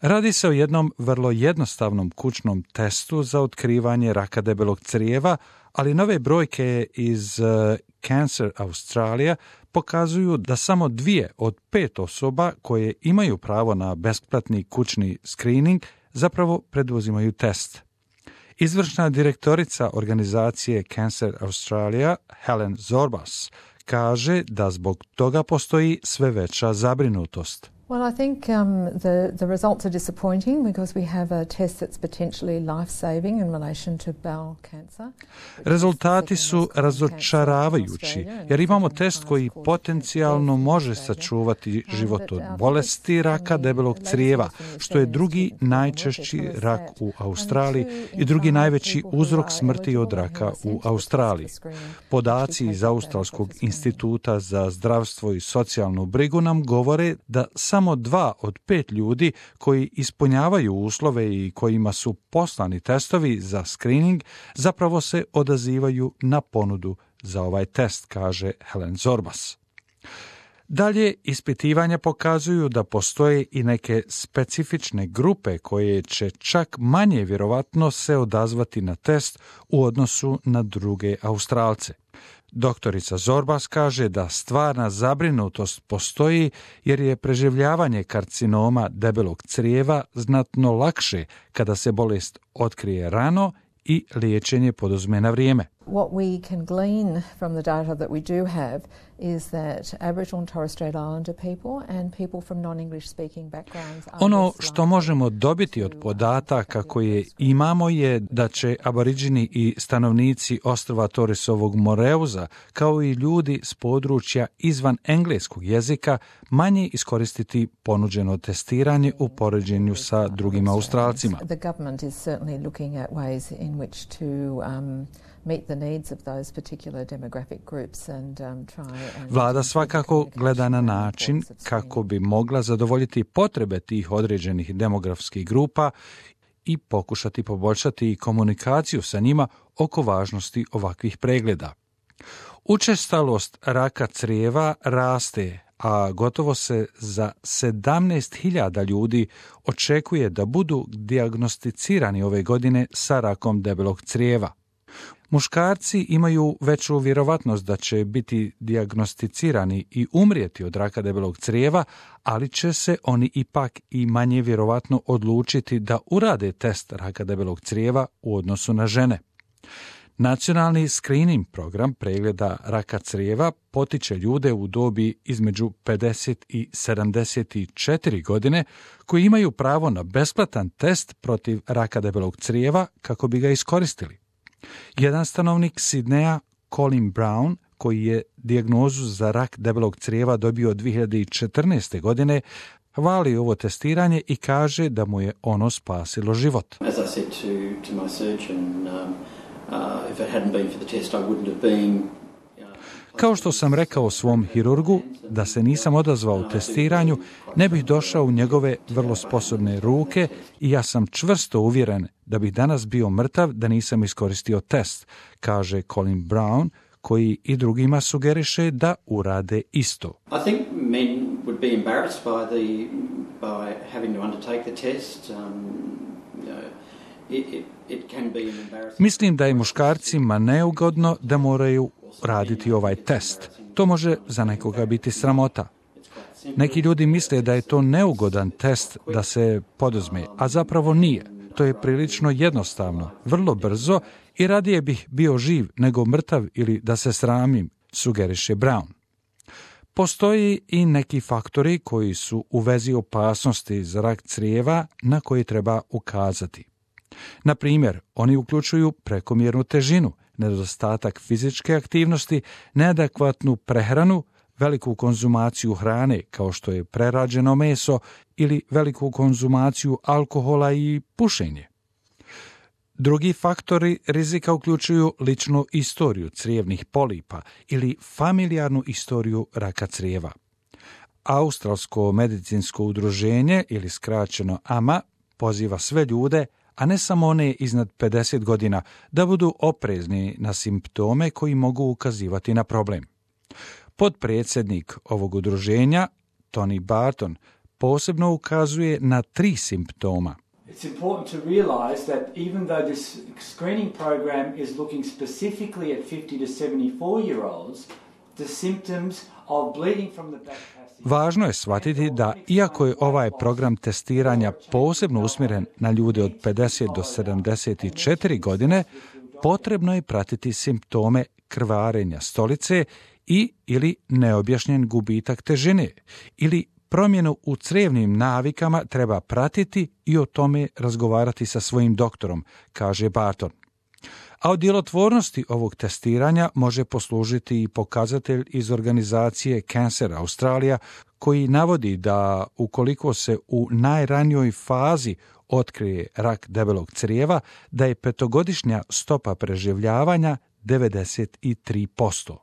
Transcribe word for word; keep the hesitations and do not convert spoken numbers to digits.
Radi se o jednom vrlo jednostavnom kućnom testu za otkrivanje raka debelog crijeva, ali nove brojke iz uh, Cancer Australia pokazuju da samo dvije od pet osoba koje imaju pravo na besplatni kućni screening zapravo preduzimaju test. Izvršna direktorica organizacije Cancer Australia, Helen Zorbas, kaže da zbog toga postoji sve veća zabrinutost. Well, I think um, the, the results are disappointing because we have a test that's potentially life-saving in relation to bowel cancer. Rezultati su razočaravajući jer imamo test koji potencijalno može sačuvati život od bolesti raka debelog crijeva, što je drugi najčešći rak u Australiji i drugi najveći uzrok smrti od raka u Australiji. Podaci iz Australskog instituta za zdravstvo i socijalnu brigu nam govore da samo Samo dva od pet ljudi koji ispunjavaju uslove i kojima su poslani testovi za screening zapravo se odazivaju na ponudu za ovaj test, kaže Helen Zorbas. Dalje, ispitivanja pokazuju da postoje i neke specifične grupe koje će čak manje vjerovatno se odazvati na test u odnosu na druge Australce. Doktorica Zorbas kaže da stvarna zabrinutost postoji jer je preživljavanje karcinoma debelog crijeva znatno lakše kada se bolest otkrije rano i liječenje poduzme na vrijeme. What we can glean from the data that we do have is that Aboriginal and Torres Strait Islander people and people from non-English speaking backgrounds are Ono što možemo dobiti od podataka koje imamo je da će Aboriđini i stanovnici ostrva Torresovog Moreuza, kao i ljudi s područja izvan engleskog jezika, manje iskoristiti ponuđeno testiranje u poređenju sa drugim Australcima. The government is certainly looking at ways in which to um, meet the needs of those particular demographic groups and um, try and Vlada svakako gleda na način kako bi mogla zadovoljiti potrebe tih određenih demografskih grupa i pokušati poboljšati komunikaciju sa njima oko važnosti ovakvih pregleda. Učestalost raka crijeva raste, a gotovo se za sedamnaest hiljada ljudi očekuje da budu dijagnosticirani ove godine sa rakom debelog crijeva. Muškarci imaju veću vjerovatnost da će biti dijagnosticirani i umrijeti od raka debelog crijeva, ali će se oni ipak i manje vjerovatno odlučiti da urade test raka debelog crijeva u odnosu na žene. Nacionalni screening program pregleda raka crijeva potiče ljude u dobi između pedeset i sedamdeset četiri godine koji imaju pravo na besplatan test protiv raka debelog crijeva kako bi ga iskoristili. Jedan stanovnik Sidneja, Colin Brown, koji je dijagnozu za rak debelog crijeva dobio dvije hiljade četrnaeste. godine, hvali ovo testiranje i kaže da mu je ono spasilo život. As I said to, to my surgeon, um, uh, if it hadn't been for the test, I wouldn't have been. Kao što sam rekao svom hirurgu, da se nisam odazvao u testiranju, ne bih došao u njegove vrlo sposobne ruke i ja sam čvrsto uvjeren da bih danas bio mrtav da nisam iskoristio test, kaže Colin Brown, koji i drugima sugeriše da urade isto. I think men would be embarrassed by the by having to undertake the test. Um, you know, it, it, it can be an embarrassing. Mislim da je muškarcima neugodno da moraju raditi ovaj test. To može za nekoga biti sramota. Neki ljudi misle da je to neugodan test da se poduzme, a zapravo nije. To je prilično jednostavno, vrlo brzo i radije bih bio živ nego mrtav ili da se sramim, sugeriše Brown. Postoji i neki faktori koji su u vezi opasnosti za rak crijeva na koji treba ukazati. Na primjer, oni uključuju prekomjernu težinu, nedostatak fizičke aktivnosti, neadekvatnu prehranu, veliku konzumaciju hrane kao što je prerađeno meso ili veliku konzumaciju alkohola i pušenje. Drugi faktori rizika uključuju ličnu istoriju crijevnih polipa ili familijarnu istoriju raka crijeva. Australsko medicinsko udruženje ili skraćeno A M A poziva sve ljude, a ne samo one iznad pedeset godina, da budu oprezni na simptome koji mogu ukazivati na problem. Potpredsjednik ovog udruženja, Tony Barton, posebno ukazuje na tri simptoma. It's important to realise that even though this screening program is looking specifically at fifty to seventy-four year olds, the symptoms of bleeding from the back passage... Važno je shvatiti da, iako je ovaj program testiranja posebno usmjeren na ljude od pedeset do sedamdeset četiri godine, potrebno je pratiti simptome krvarenja stolice i ili neobjašnjen gubitak težine, ili promjenu u crijevnim navikama treba pratiti i o tome razgovarati sa svojim doktorom, kaže Barton. A o djelotvornosti ovog testiranja može poslužiti i pokazatelj iz organizacije Cancer Australia, koji navodi da ukoliko se u najranijoj fazi otkrije rak debelog crijeva, da je petogodišnja stopa preživljavanja devedeset tri posto.